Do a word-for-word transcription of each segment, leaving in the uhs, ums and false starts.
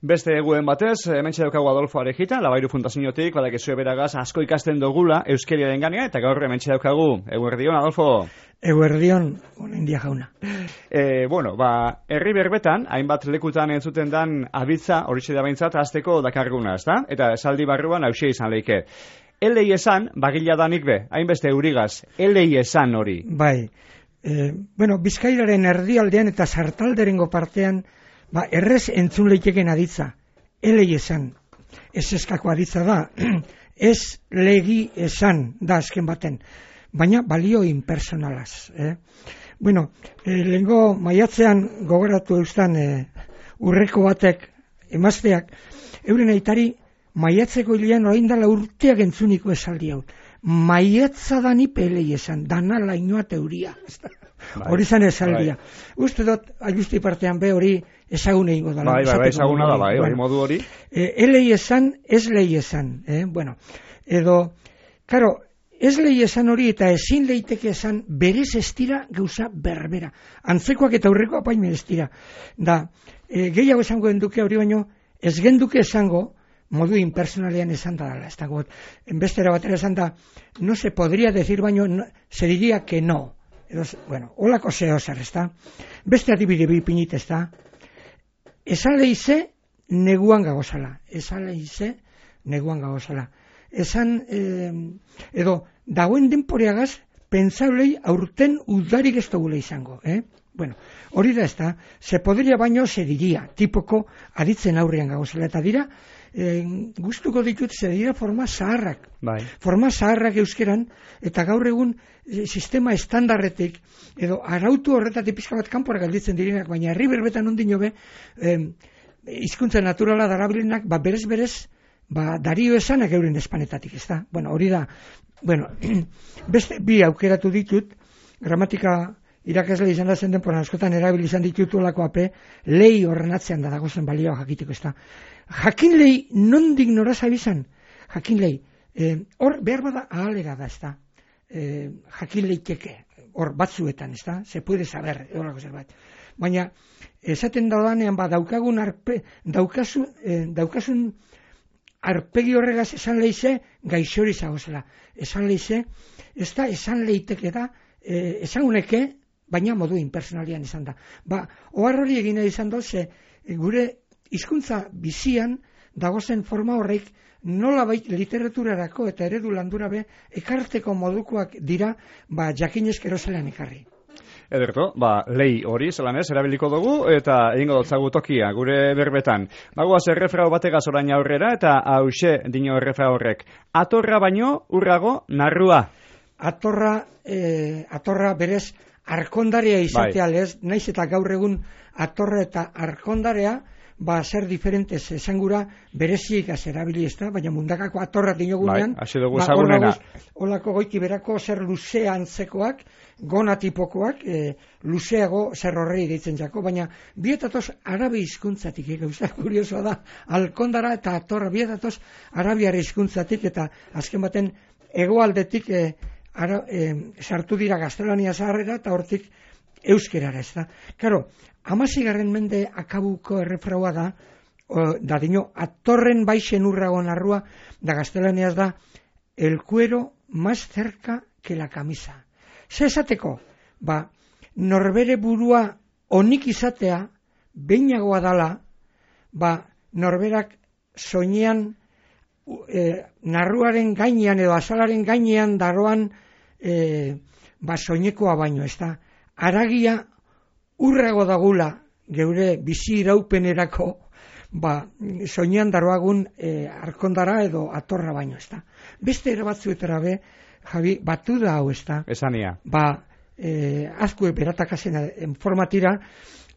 Beste eguen batez, hementxe daukagu Adolfo Arejita, Labairu Fundaziotik, badakizue beragaz asko ikasten dugula euskeriaren ganean, eta gaur hementxe daukagu. Eguerdion, Adolfo. Eguerdion, honen dia jauna. E, bueno, ba, herri berbetan, hainbat lekutan entzuten dan abitza, horixe da behintzat, azteko dakarguna, ezta? Eta esaldi barruan hausia izan leike. Elei esan, bagila danik be, hainbeste eurigaz, elei esan hori. Bai, e, bueno, Bizkairaren erdialdean eta sartalderengo partean, ba, errez entzun leikeken aditza, elei esan, ez eskako aditza da, ez legi esan da azken baten, baina balio impersonalaz. Eh? Bueno, eh, lehengo maiatzean gogoratu eustan eh, urreko batek, emazteak, euren aitari maiatzeko hilean orain dela urteak entzuniko esaldi hau. Maiatza da nipe elei esan, dana lainoa teuria. Hori zan esaldia. Bai. Uste dut, ajusti partean be hori ezagun egingo dela. Bai, bai, bai, ezaguna da, bai, bueno, modu hori. E, elei esan, ez lei esan. Eh? Bueno, edo, karo, ez lei esan hori eta ezin leiteke esan berez estira gauza berbera. Antzekoak eta aurreko apaimen estira. Da, e, gehiago esango genduke hori baino, ez genduke esango, modu impersonalean esan da dala. Ez dago, enbestera batera esan da, no se podría decir baino, no, se diría que no. Edo, bueno, holako zeo zer, ez da? Beste adibide bipinit, ez da? Esan lehize, neguan gagozala. Esan lehize, neguan gagozala. Esan, eh, edo, dagoen denporeagaz, pentsaulei aurten udarik ez dugula izango, eh? Bueno, hori da ez da, se podria baino se diria, tipoko aditzen aurrean gagozala. Eta dira, eh, gustuko ditut, ze dira forma zaharrak. Bai. Forma zaharrak euskeran, eta gaur egun e, sistema estandarretik, edo arautu horretatik pixka bat kanpora galditzen direnak, baina herri berbetan ondino be, eh, hizkuntza naturala darabilinak, ba berez berez, ba dario esanak euren espanetatik, ez da? Bueno, hori da, bueno, beste bi aukeratu ditut, gramatika irakasle izan da zen denporan askotan erabili izan ditutulako ape, lei horren atzean da dagozen balioa jakiteko, ez da? Jakin lei nondik nora zabizan? Jakin lei, eh, hor behar bada ahalera da, ez da? Eh, jakin leiteke, hor batzuetan, ez da? Se puede saber, horako zerbait. Baina, esaten daudanean, ba, daukagun arpe, daukazu, eh, daukasun arpegi horregaz esan leize, gaixori zagozela. Esan leize, ez da, esan leiteke da, eh, esan uneke, baina modu impersonalian izan da. Ba, ohar hori egin izan doze, gure hizkuntza bizian dagozen forma horreik nola bait literaturarako eta eredu landura be ekarteko modukoak dira, ba, jakinezkero zelan ekarri. Ederto, ba, lei hori zelan ez, erabiliko dugu eta egingo dotzagu tokia gure berbetan. Bagoaz errefrau bategaz orain aurrera eta hause dino errefrau horrek. Atorra baino urrago narrua. Atorra, eh, atorra berez arkondarea izatea, bai. Lez, naiz eta gaur egun atorra eta arkondarea, ba, zer diferentez esangura bereziik azerabili ez da, baina mundakako atorra dinogunean, bai, ba, olako goiti berako zer luzea antzekoak, gona tipokoak, e, luzeago zer horrei deitzen jako, baina bietatoz arabi hizkuntzatik, e, gauza kuriosoa da, alkondara eta atorra bietatoz arabiare hizkuntzatik, eta azken baten hegoaldetik e, ara, e, sartu dira gaztelania zaharrera eta hortik euskerara, ez da. Karo, hamazigarren mende akabuko errefraua da, o, da dino, atorren baixen urrago narrua, da gaztelaniaz da, el cuero más cerca que la camisa. Ze esateko, ba, norbere burua onik izatea, beinagoa dala, ba, norberak soinean, e, narruaren gainean edo azalaren gainean daroan, e, ba, soinekoa baino, ez da. Aragia urrago dagula geure bizi iraupenerako, ba, soinean daroagun e, arkondara edo atorra baino, ez da. Beste ere batzuetara be, Javi, batu da hau, ez da. Esania. Ba, e, azkue beratakasen formatira,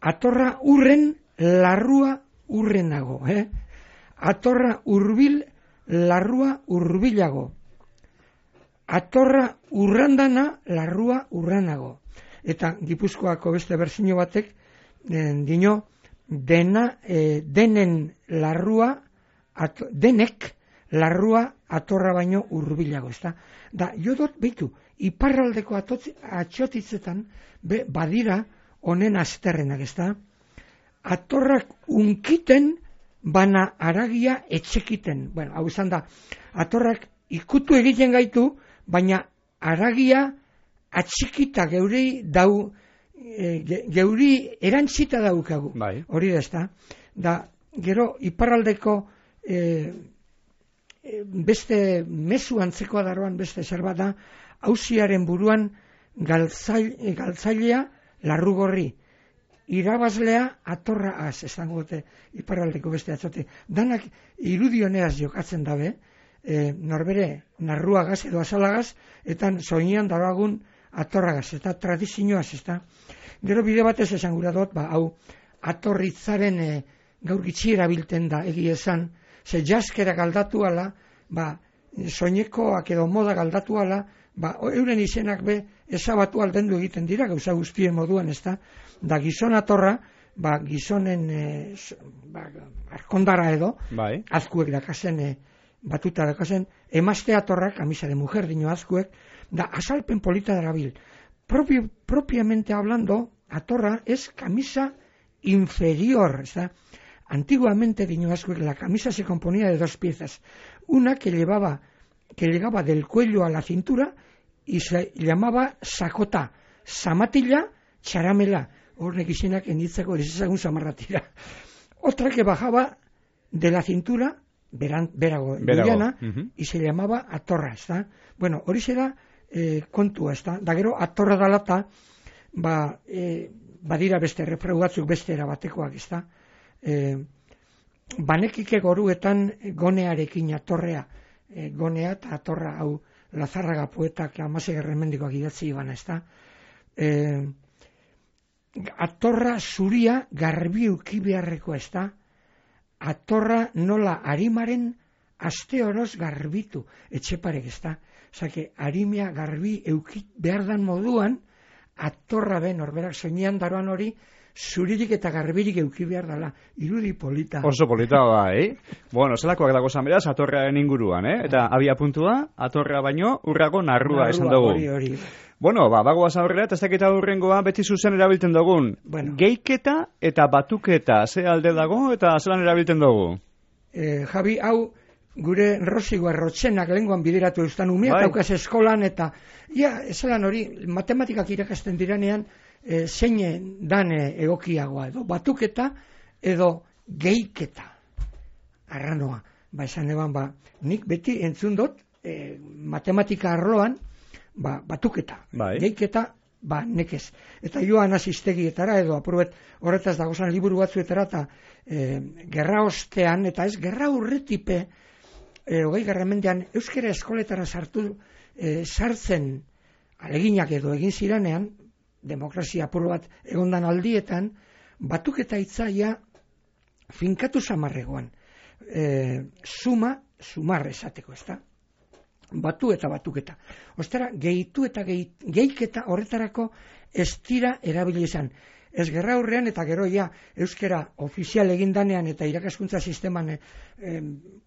atorra urren, larrua urrenago, eh? Atorra urbil, larrua urbilago. Atorra urrandana, larrua urranago. Eta Gipuzkoako beste berzino batek, den, dino, dena, e, denen larrua, at, denek larrua atorra baino urbilago, ez da. Da, jo dut, behitu, iparraldeko atotzi, atxotitzetan, be, badira honen azterrenak, ez da. Atorrak unkiten bana aragia etxekiten. Bueno, hau izan da, atorrak ikutu egiten gaitu, baina aragia atxikita geuri dau, e, geuri erantzita daukagu. Bai. Hori da, ezta? Da, gero, iparraldeko e, e, beste mezu antzekoa daroan beste zerbait da, auziaren buruan galtzail, galtzailea larrugorri. Irabazlea atorra az, esango dute iparraldeko beste atzote. Danak irudioneaz jokatzen dabe, e, norbere narruagaz edo azalagaz, eta soinean daragun atorragaz, eta tradizioaz, eta gero bide batez esan gura dut, ba, hau atorritzaren e, gaur gitxi erabilten da, egia esan, ze jaskera galdatu ala, ba, soinekoak edo moda galdatu ala, ba, euren izenak be, ezabatu aldendu egiten dira, gauza guztien moduan, ez da, da gizon atorra, ba, gizonen e, ba, arkondara edo, bai. azkuek dakazen, e, batuta dakazen, emazte atorrak, kamisa de mujer dino azkuek, da azalpen polita darabil. Propio, propiamente hablando, atorra es camisa inferior, ¿está? Antiguamente, diño azkuek, la camisa se componía de dos piezas. Una que llevaba, que llegaba del cuello a la cintura y se llamaba sakota, samatilla, charamela. Hornek izenak enitzako ezagun samarratira. Otra que bajaba de la cintura, beran, berago, berago. Uh-huh. Y se llamaba atorra, ¿está? Bueno, hori zera eh, kontua, ¿está? Da gero, atorra dalata, ba, eh, badira beste refreu batzuk beste erabatekoak, ¿está? Eh, banekike goruetan gonearekin atorrea, eh, gonea eta atorra, hau, Lazarraga poetak amase gerremendikoak idatzi ibana, ¿está? Eh, atorra zuria garbi uki beharreko, ez da? Atorra nola arimaren aste oroz garbitu, etxeparek, ez da? Zake, arimea garbi eukit behar dan moduan, atorra ben, orberak soinean daroan hori, zuririk eta garbirik euki behar dela, irudi polita. Oso polita, bai. Bueno, zelakoak dago beraz, atorrearen inguruan, eh? Eta abia puntua, atorra baino, urrago narrua, narrua esan dugu. Hori, hori. Bueno, ba, bagoaz aurrera, eta ez dakita urrengoa beti zuzen erabiltzen dugun. Bueno. Geiketa eta batuketa, ze alde dago eta zelan erabiltzen dugu? Eh, Javi, hau, gure rosigoa rotxenak lenguan bideratu eustan umea, bai. Taukaz eskolan, eta, ja, zelan hori, matematikak irakasten diranean, e, zein dan egokiagoa, edo batuketa, edo geiketa. Arranoa, ba, esan eban, ba, nik beti entzun dut, e, matematika arloan, ba, batuketa, bai. Geiketa, ba, nekez. Eta joan asistegietara, edo apurbet horretaz dagozan liburu batzuetara, eta e, gerra ostean, eta ez, gerra urretipe, e, hogei garramendean, euskara eskoletara sartu, e, sartzen aleginak edo egin ziranean, demokrazia apur bat egondan aldietan, batuketa hitzaia finkatu samarregoan. E, suma, sumar esateko, ez da? Batu eta batuketa. Ostara, gehitu eta gehi, gehiketa horretarako ez dira erabili izan. Ez gerra aurrean eta gero ja euskera ofizial egindanean eta irakaskuntza sisteman e,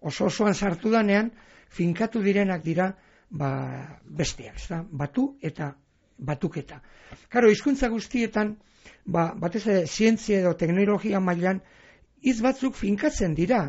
oso osoan sartu danean, finkatu direnak dira ba, besteak, ez da? Batu eta batuketa. Karo, hizkuntza guztietan, ba, batez ere zientzia edo teknologia mailan, hitz batzuk finkatzen dira,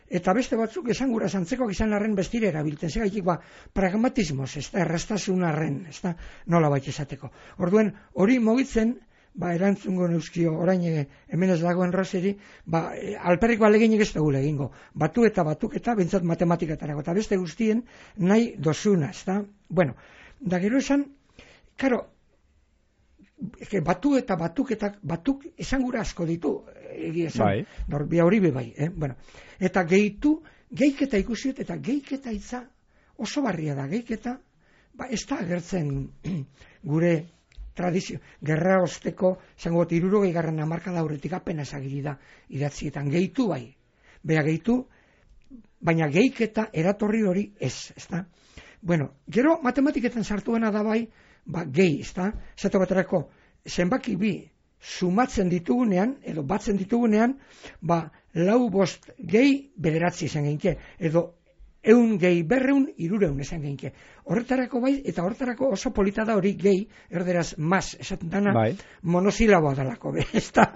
eta beste batzuk esangura zantzekoak izan arren bestire erabiltzen, segaitik ba, pragmatismoz, ez da, errastasun arren, ez da, nola baita esateko. Orduen, hori mogitzen, ba, erantzungo neuzkio, orain e, hemen ez dagoen roseri, ba, e, alperriko aleginik ez dugu egingo, batu eta batuk eta bentsat matematikatarako, eta beste guztien nahi dozuna, ez da, bueno, da gero esan, karo, batu eta batuketak, batuk esangura asko ditu, egia esan, bai. Norbia hori be bai, eh? Bueno, eta gehitu, geiketa ikusiet, eta geiketa hitza oso barria da, geiketa, ba, ez da agertzen gure tradizio, gerra osteko, zango bat, irurogei garran amarka dauretik apenas agiri da idatzietan, gehitu bai, bea gehitu, baina geiketa eratorri hori ez, ez da? Bueno, gero matematiketan sartuena da bai, ba, gehi, ez da? Zato baterako, zenbaki bi, sumatzen ditugunean, edo batzen ditugunean, ba, lau bost gehi bederatzi izan genke, edo eun gehi berreun irureun esan geinke. Horretarako bai, eta horretarako oso polita da hori gehi, erderaz mas esaten dana, bai. monosilaboa dalako, be, ez da.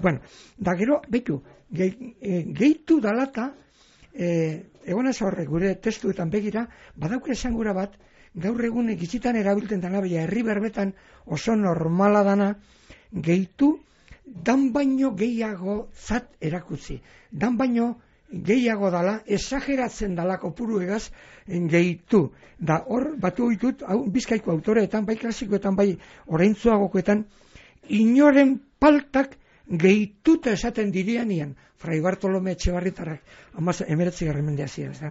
Bueno, da gero, behitu, gehi, e, gehitu dalata, e, egon ez horre, gure testuetan begira, badauke esangura bat, gaur egun gitzitan erabiltzen dana, baina herri berbetan oso normala dana, gehitu, dan baino gehiago zat erakutzi. Dan baino gehiago dala, esageratzen dala kopuru egaz gehitu. Da hor, batu ditut, hau, bizkaiko autoreetan, bai klasikoetan, bai oraintzuagokoetan, inoren paltak gehituta esaten dirianian, Fray Bartolome Etxebarritarrak, amaz, emeretzi garren mendea ziren, da.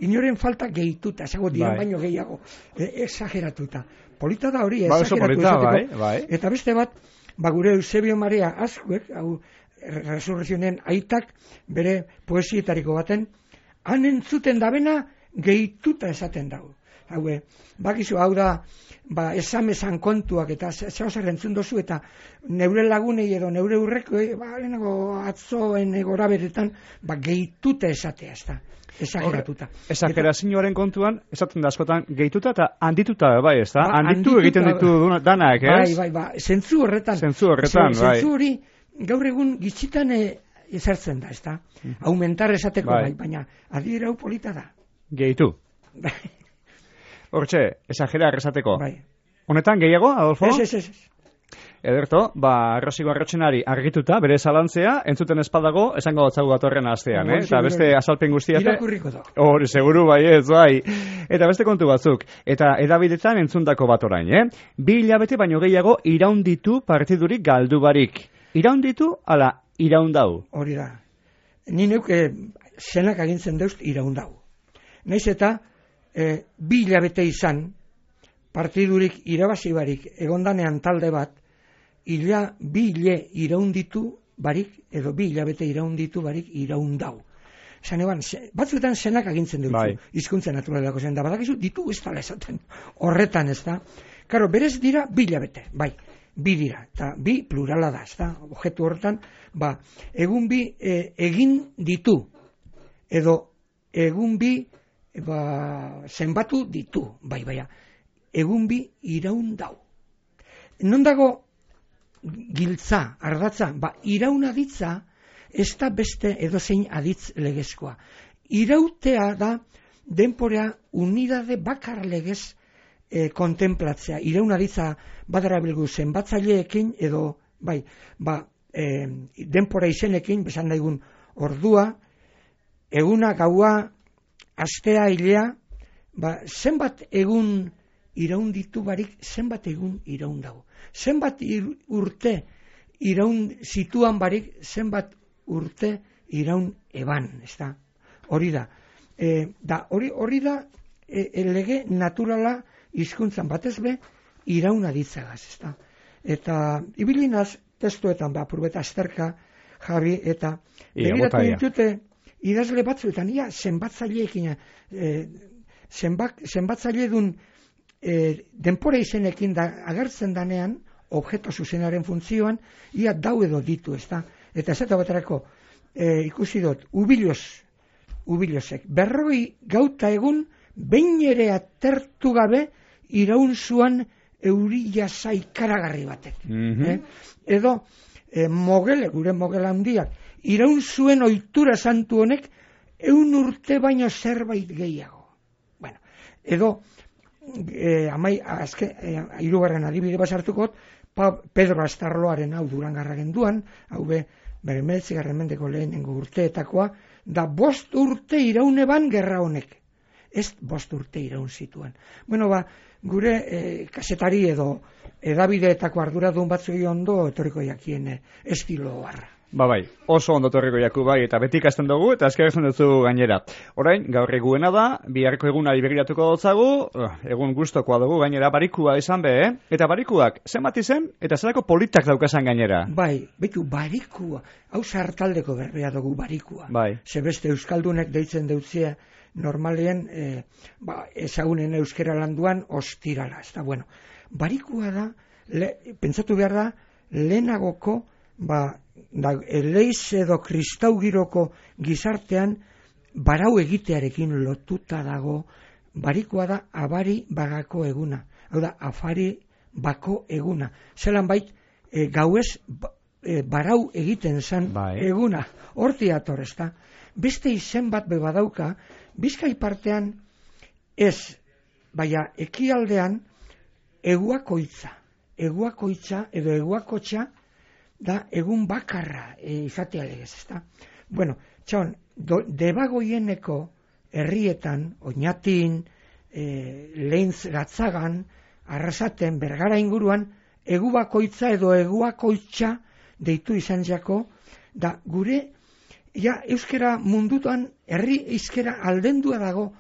Inoren falta gehituta, esago dian baino gehiago, e, exageratuta. Polita da hori, ba, exageratu polita, esateko. bai, bai. Eta beste bat, ba gure Eusebio Maria Azkuek, hau resurrezionen aitak, bere poesietariko baten, han entzuten dabena gehituta esaten dago. Hau, bakizu, hau da, ba, esamezan kontuak eta zehozar entzun dozu eta neure lagunei edo neure urreko, ba, lehenago atzoen egora beretan, ba, gehituta esatea, ez da. Esageratuta. Esagerazioaren kontuan, esaten da askotan gehituta eta handituta, bai, ez da? Ba, handitu egiten ditu danak, ez? Bai, bai, bai, zentzu horretan. Zentzu horretan, Z, bai. Zentzu hori, gaur egun gitzitan e, ezartzen da, ez da? Mm. Aumentar esateko, bai, bai baina adiera hau polita da. Gehitu. Hortxe, esagerar esateko. Bai. Honetan, gehiago, Adolfo? Ez, ez, ez. Ederto, ba, Rosigo Arrotxenari argituta, bere zalantzea, entzuten espadago, esango gotzagu datorren astean, eh? Eta beste azalpen guztiate. Irakurriko da. Hori, seguru bai ez, bai. Eta beste kontu batzuk. Eta edabidetan entzundako bat orain, eh? Bi hilabete baino gehiago iraunditu partidurik galdu barik. Iraunditu, ala, iraundau. Hori da. Ni neuk eh, zenak agintzen deust iraundau. Naiz eta eh, bi hilabete izan partidurik irabazi barik egondanean talde bat, Ila bi hile iraunditu barik, edo bi hilabete iraunditu barik iraundau. Esan eban, batzuetan zenak agintzen dut, bai. Hizkuntza naturalako zen, da badakizu ditu ez dala esaten, horretan ez da. Karo, berez dira bi hilabete, bai, bi dira, eta bi plurala da, ez da, objektu horretan, ba, egun bi e, egin ditu, edo egun bi ba, zenbatu ditu, bai, baina, egun bi iraundau. Non dago giltza, ardatza, ba, irauna ditza, ez da beste edozein aditz legezkoa. Irautea da, denporea unidade bakar legez e, kontemplatzea. Irauna ditza badara bilgu zenbatzaileekin, edo, bai, ba, e, denpora izenekin, besan daigun ordua, eguna, gaua, astea, hilea, ba, zenbat egun iraunditu barik, zenbat egun iraun dago. Zenbat urte iraun zituan barik, zenbat urte iraun eban, ez da? Hori da. E, da hori, hori da e, lege naturala hizkuntzan batez be, irauna ditzagaz, ez da? Eta ibilinaz testuetan, ba, purbeta azterka, Javi, eta begiratu ditute idazle batzuetan, ia, zenbatzaileekin, e, zenbat, zenbatzaile dun E, denpora izenekin da, agertzen danean, objeto zuzenaren funtzioan, ia dau edo ditu, ez da? Eta ez eta baterako, e, ikusi dut, ubiloz, ubilozek, berroi gauta egun, behin ere atertu gabe, iraun zuan eurila zaikaragarri batek. Mm-hmm. eh? Edo, e, mogele, gure mogela handiak, iraun zuen ohitura santu honek, eun urte baino zerbait gehiago. Bueno, edo, E, amai, azke, e, irugarren adibide basartukot, pa, Pedro Astarloaren hau Durangarra genduan, hau be, bere meretzigarren mendeko lehenengo urteetakoa, da bost urte irauneban gerra honek. Ez bost urte iraun zituen. Bueno, ba, gure e, kasetari edo edabideetako arduradun batzuei ondo etorriko jakien e, estilo harra. Ba bai, oso ondo torriko jaku bai, eta beti ikasten dugu, eta eskertzen dutzu gainera. Orain, gaur eguena da, biharko egunari begiratuko dutzagu, egun gustokoa dugu gainera, barikua izan be, eh? Eta barikuak, zenbat izen, eta zelako politak daukasan gainera? Bai, betu, barikua, hau sartaldeko berbea dugu barikua. Bai. Zebeste euskaldunek deitzen deutzea, normalien, eh, ba, ezagunen euskera landuan, ostirala, ez da, bueno. Barikua da, le, pentsatu behar da, lehenagoko, ba, da, eleiz edo kristaugiroko gizartean barau egitearekin lotuta dago, barikoa da abari bagako eguna, hau da, afari bako eguna. Zelan bait, e, gauez ba, e, barau egiten zan bai. eguna, horti ator, ezta. Beste izen bat bebadauka, Bizkai partean ez, baina ekialdean eguakoitza, eguakoitza edo eguakotxa da egun bakarra e, izatea legez, ezta. Bueno, txon, do, debagoieneko herrietan, Oñatin, e, Leintz Gatzagan, Arrasaten, Bergara inguruan, egubakoitza edo eguakoitza deitu izan jako, da gure, ja, euskera mundutan, herri euskera aldendua dago,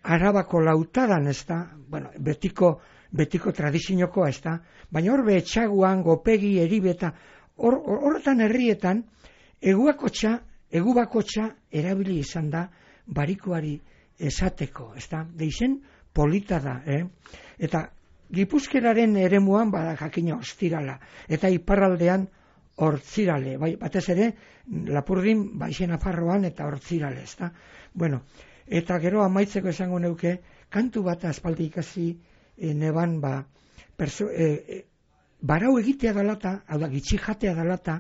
Arabako lautadan, ez da, bueno, betiko, betiko tradiziokoa, ez da, baina horbe etxaguan, gopegi, eribeta, horretan or, herrietan, eguakotxa, egubakotxa erabili izan da, barikoari esateko, ez da, deixen polita da, eh? Eta Gipuzkeraren eremuan bada jakina ostirala, eta iparraldean hortzirale, bai, batez ere, Lapurdin, baixen Nafarroan eta hortzirale, ez da. Bueno, eta gero amaitzeko esango neuke, kantu bat aspaldi ikasi e, neban, ba, perso, e, e, barau egitea dalata, hau da, gitxi jatea dalata,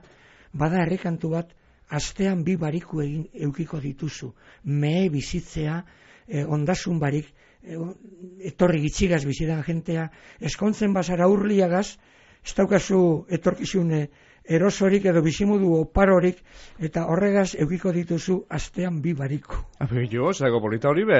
bada errekantu bat, astean bi bariku egin eukiko dituzu, mehe bizitzea, e, ondasun barik, e, etorri gitxigaz bizidan jentea, eskontzen bazara urliagaz, ez daukazu etorkizune erosorik edo bizimudu oparorik, eta horregaz eukiko dituzu astean bi bariku. Abi, jo, zago polita hori be.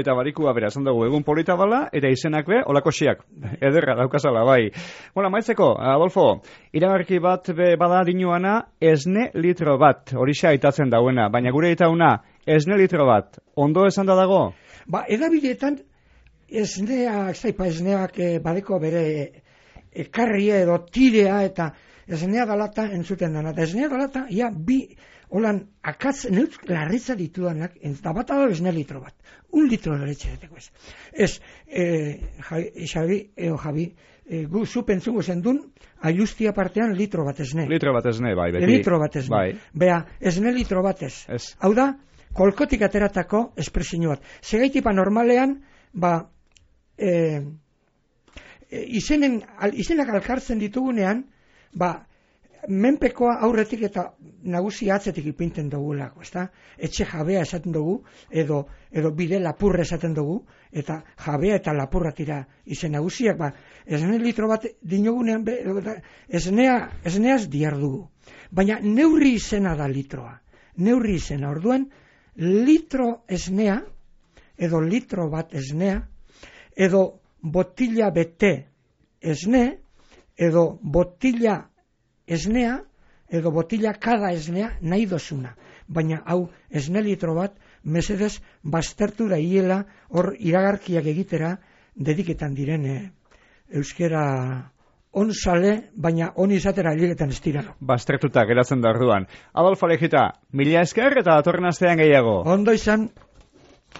Eta barikua bera, esan dugu, egun polita bala, eta izenak be, olako xiak. Ederra, daukazala, bai. Bueno, maitzeko, Adolfo, iragarki bat be bada dinuana, esne litro bat, horixe aitatzen dauena, baina gure itauna, esne litro bat, ondo esan da dago? Ba, edabideetan, esnea, zaipa esneak eh, badeko bere ekarria edo tirea eta esnea dalata entzuten dena. Eta esnea dalata, ia bi, holan, akatz, neutz, larritza ditudanak, eta bat da esne litro bat. Un litro da letxe deteko ez. Ez, eh, Xabi, eo Javi, eh, gu zu pentsungo zendun, ailustia partean litro bat esne. Litro bat esne, bai, beti. Litro bat esne. Bai. Bea, esne litro bat ez. Ez. Hau da, kolkotik ateratako espresio bat. Segaitipa normalean, ba, eh, izenen, al, izenak alkartzen ditugunean, ba, menpekoa aurretik eta nagusi atzetik ipinten dugulako, ezta? Etxe jabea esaten dugu, edo, edo bide lapurra esaten dugu, eta jabea eta lapurra tira izen nagusiak, ba, esne litro bat dinogunean, be, esnea, esneaz diar dugu. Baina neurri izena da litroa. Neurri izena, orduan, litro esnea, edo litro bat esnea, edo botila bete esne, edo botila esnea, edo botila kada esnea nahi dozuna. Baina hau esne litro bat, mesedez baztertu da hiela hor iragarkiak egitera dediketan direne euskera on sale, baina on izatera hilegetan ez dira. Baztertuta geratzen da orduan. Adolfo Alejita, mila esker eta datorren astean gehiago. Ondo izan.